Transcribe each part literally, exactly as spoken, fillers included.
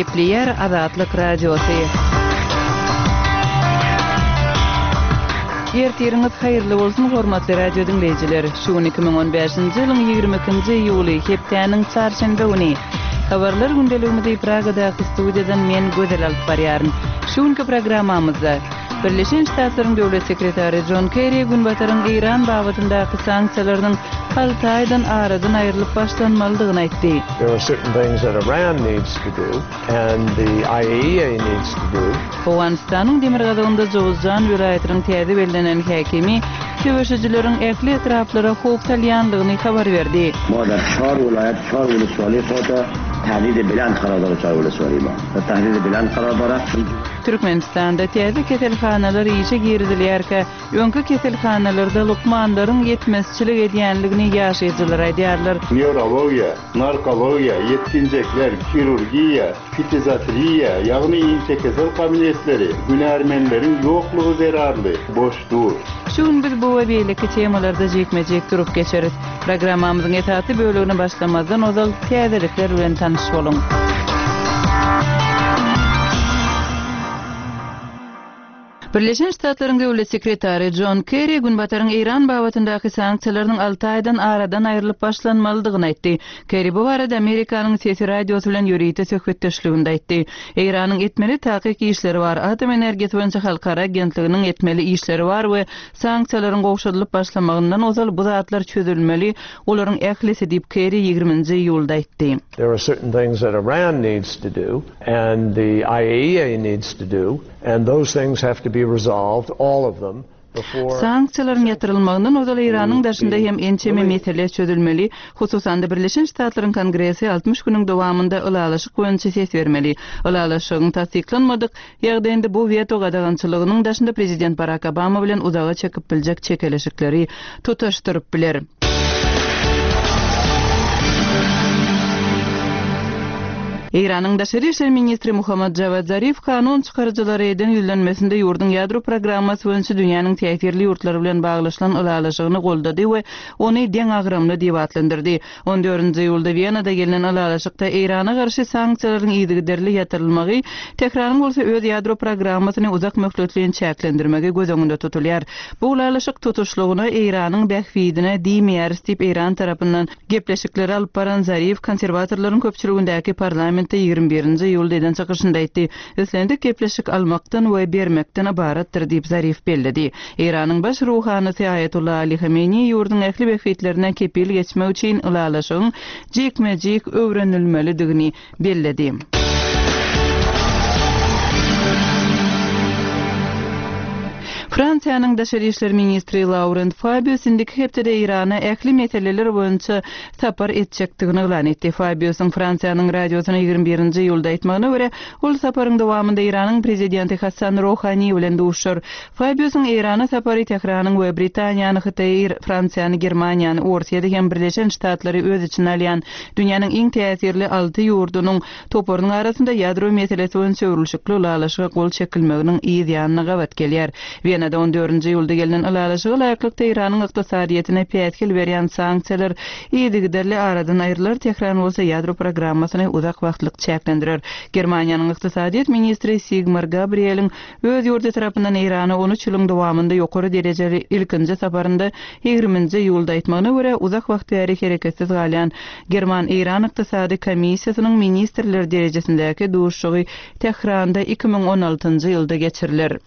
Gepleýär Azatlyk Radiosy. Ertiriňiz haýyrly bolsun, hormatly radio diňleýjiler! Şu gün iki müň on bäşinji ýylyň ýigrimi ikinji iýuly, hepdäniň çarşenbe güni. Habarlar gündeligimizi Pragadaky studiýadan men Gözel alyp barýaryn. Şu günki programmamyzda, Birleşen Ştatlaryň Döwlet sekretary Jon Kerri Günbataryň Eýran babatyndaky sanksiýalarynyň hal taýdan aradan aýrylyp başlanmalydygyny aýtdy. There are certain things that Iran needs to do and the I A E A needs to do. Owganystanyň demirgazygynda Jowuzjan welaýatynyň täze bellenen häkimi söweşijileriň ähli etraplara howp salýandygyny habar berdi. Ma dar çar welaýat, çar wulyswaly fata tahdidi belent karar dara çar wulyswaly ma. Dar tahdidi belent karar dara. Türkmenistanda täze keselhanalar işe girizilýärkä, öňki keselhanalarda lukmanlaryň ýetmezçilik edýänligini ýaşaýjylar aýdýarlar. Newrologiýa, narkologiýa, ýetginjekler, hirurgiýa, ftiziatriýa, ýagny inçekesel kabinetleri hünärmenleriň ýoklugy zerarly boş dur. Şu gün biz bu we beýleki temalarda jikme-jik durup geçeris. Programmamyzyň esasy bölegine başlamazdan ozal täzelikler bilen tanyş boluň. Birleşen Ştatlaryň Döwlet sekretary Jon Kerri Günbataryň Eýran babatyndaky sanksiýalarynyň alty aýdan aradan aýrylyp başlanmalydygyny aýtdy. Kerri bu barada Amerikanyň Sesi radiosy bilen ýörite söhbetdeşliginde aýtdy. Eýranyň etmeli takyk işleri bar, atom energiýasy boýunça halkara agentliginiň etmeli işleri bar we sanksiýalaryň gowşadylyp başlamagyndan ozal bu zatlar çözülmeli, olaryň ählisi diýip Kerri ýigriminji iýulda aýtdy. There are certain things that Iran needs to do and the I A E A needs to do and those things have to be resolved, all of them, before Sanksiýalaryň ýatyrylmagyndan ozal Eýranyň daşynda hem ençeme mesele çözülmeli, hususan-da Birleşen Ştatlaryň Kongresi altmyş günüň dowamynda ylalaşyk boýunça ses bermeli. Ylalaşygyň tassyklanmadyk ýagdaýynda bu weto gadagançylygynyň daşynda prezident Barack Obama bilen uzaga çekip biljek çekeleşikleri tutaşdyryp biler. Eýranyň daşary işler ministri Muhammad Javad Zarif kanun çykaryjylary eden ýüzlenmesinde ýurduň ýadro programmasy boýunça dünýäniň täsirli ýurtlary bilen baglaşylan ylalaşygyny goldady we ony deňagramly diýip atlandyrdy. On dördünji iýulda Wenada gelnen ylalaşykda Eýrana garşy sanksiýalaryň yzygiderli ýatyrylmagy, Tehranyň bolsa öz ýadro programmasyny uzak möhletleýin çäklendirmegi göz öňünde tutulýar. Bu ylalaşyk tutuşlygyna Eýranyň bähbidine diýmeýäris diýip Eýran tarapyndan gepleşikleri alyp baran Zarif konserwatorlaryň köpçüligindäki parlamentde ýigrimi birinji iýulda eden çykyşynda aýtdy. Islendik gepleşik almakdan we bermekden ybaratdyr diýip Zarif belledi. Eýranyň baş ruhanysy Aýatullah Ali Hamenei ýurduň ähli bähbitlerine kepil geçmek üçin ylalaşygyň jikme-jik öwrenilmelidigini belledi. Fransiýanyň daşary işler ministri Laurent Fabius indiki hepdede Eýrana ähli meseleler boýunça sapar etjekdigini yglan etdi. Fabiusyň Fransiýanyň radiosyna ýigrimi birinji iýulda aýtmagyna görä, ol saparyň dowamynda Eýranyň prezidenti Hassan Rohani bilen duşar. Fabiusyň Eýrana sapary Tehranyň we Britaniýany, Hytaýy, Fransiýany, Germaniýany, Orsýeti hem Birleşen Ştatlary öz içine alýan dünýäniň iň täsirli alty ýurdunyň toparynyň arasynda ýadro meselesi boýunça öwrülişikli ylalaşyga gol çekilmeginiň yz ýanyna gabat gelýär. Wenada on dördünji iýulda gelnen ylalaşyga laýyklykda Eýranyň ykdysadyýetine päsgel berýän sanksiýalar yzygiderli aradan aýrylar, Tehran bolsa ýadro programmasyny uzak wagtlyk çäklendirer. Germaniýanyň ykdysadyýet ministri Sigmar Gabrieliň öz ýurdy tarapyndan Eýrana on üç ýylyň dowamynda ýokary derejeli ilkinji saparynda ýigriminji iýulda aýtmagyna görä, uzak wagt bäri hereketsiz galýan German-Eýran ykdysady komissiýasynyň ministrler derejesindäki duşuşygy Tehranda iki müň on altynjy ýylda geçiriler.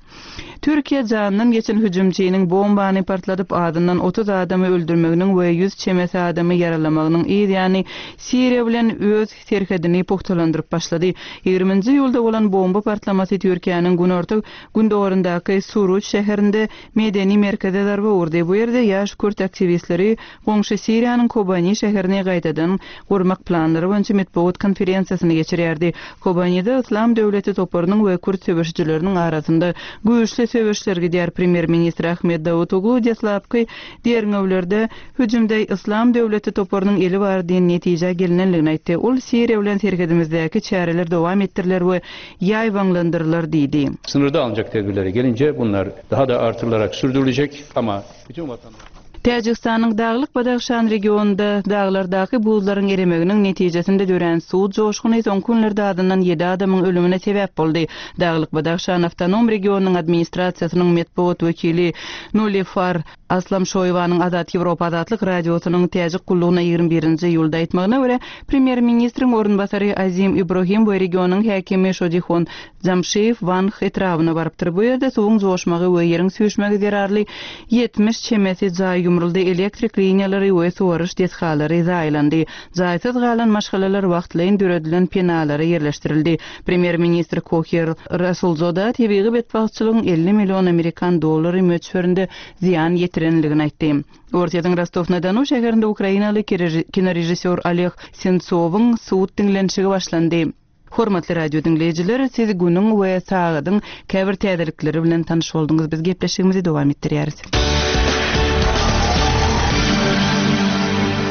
Türkiýe jandan geçen hüjümçiniň bombany partladyp azyndan otuz adamy öldürmeginiň we ýüz çemesi adamy ýaralamagynyň yz ýany Siriýa bilen öz serhedini pugtalandyryp başlady. Ýigriminji iýulda bolan bomba partlamasy Türkiýäniň günorta gündogaryndaky Suruç şäherinde medeni merkeze zarba urdy. Bu ýerde ýaş kürt aktiwistleri goňşy Siriýanyň Kobani şäherini gaýtadan gurmak planlary boýunça metbugat konferensiýasyny geçirýärdi. Kobanide Islam döwleti toparynyň we kürt söweşijileriniň arasynda güýçli söweşler gidýär. Premýer-ministr Ahmet Davutoglu deslapky derňewlerde hüjümde Islam döwleti toparynyň eli bar diýen netijä gelinenligini aýtdy. Ol Siriýa bilen serhedimizdäki çäreler dowam etdiriler we ýaýbaňlandyrylar diýdi. Sınırda alınacak tedbirlere gelince bunlar daha da artırılarak sürdürülecek ama bütün vatandaşlar Täjigistanyň Daglyk Badahşan regionynda daglardaky buzlaryň eremeginiň netijesinde dörän suw joşguny soňky günlerde azyndan ýedi adamyň ölümine sebäp boldy. Daglyk Badahşan awtonom regionynyň administrasiýasynyň metbugat wekili Nolifar Aslamşoýewanyň Azat Ýewropa Azatlyk Radiosynyň Täjik gullugyna ýigrimi birinji iýulda aýtmagyna görä, premýer-ministriň orunbasary Azim Ibrohim we regionyň häkimi Şodihon Jamşiýew Wanh etrabyna barypdyr. Bu ýerde suwuň joşmagy we ýeriň süýşmegi zerarly ýetmiş çemesi jaý ýumruldy, elektrik liniýalary we suwaryş desgalary zaýalandy. Jaýsyz galan maşgalalar wagtlaýyn döredilen penalara ýerleşdirildi. Premýer-ministr Kohir Rasulzoda tebigy betbagtçylygyň elli million amerikan dollary möçberinde zyýan ýetirenligini aýtdy. Orsýetiň Rostow-na-Donu şäherinde ukrainaly kinorežissýor Oleg Sentsowyň sud diňlenişigi başlandy. Hormatly radio diňleýjiler, siz günüň we sagadyň käbir täzelikleri bilen tanyş bolduňyz. Biz gepleşigimizi dowam etdirýäris.